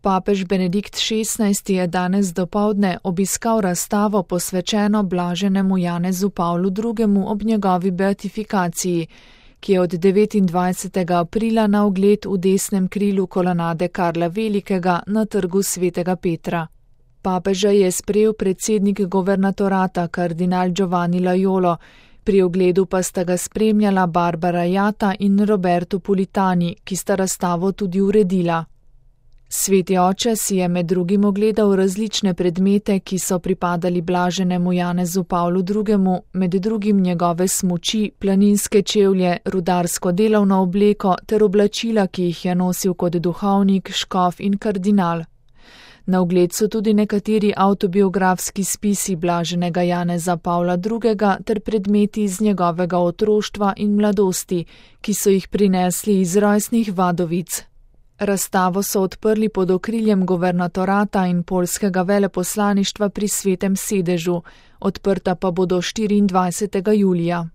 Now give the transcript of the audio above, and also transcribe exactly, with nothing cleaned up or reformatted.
Papež Benedikt šestnajsti je danes dopoldne obiskal razstavo posvečeno blaženemu Janezu Pavlu drugemu ob njegovi beatifikaciji, ki je od devetindvajsetega aprila na ogled v desnem krilu kolonade Karla Velikega na trgu svetega Petra. Papeža je sprejel predsednik governatorata kardinal Giovanni Laiolo, pri ogledu pa sta ga spremljala Barbara Jata in Roberto Politani, ki sta razstavo tudi uredila. Sveti oče si je med drugim ogledal različne predmete, ki so pripadali blaženemu Janezu Pavlu drugemu, med drugim njegove smuči, planinske čevlje, rudarsko delovno obleko ter oblačila, ki jih je nosil kot duhovnik, škof in kardinal. Na ogled so tudi nekateri avtobiografski spisi blaženega Janeza Pavla drugega ter predmeti iz njegovega otroštva in mladosti, ki so jih prinesli iz rojstnih Vadovic. Razstavo so odprli pod okriljem governatorata in poljskega veleposlaništva pri Svetem sedežu, odprta pa bodo štiriindvajsetega julija.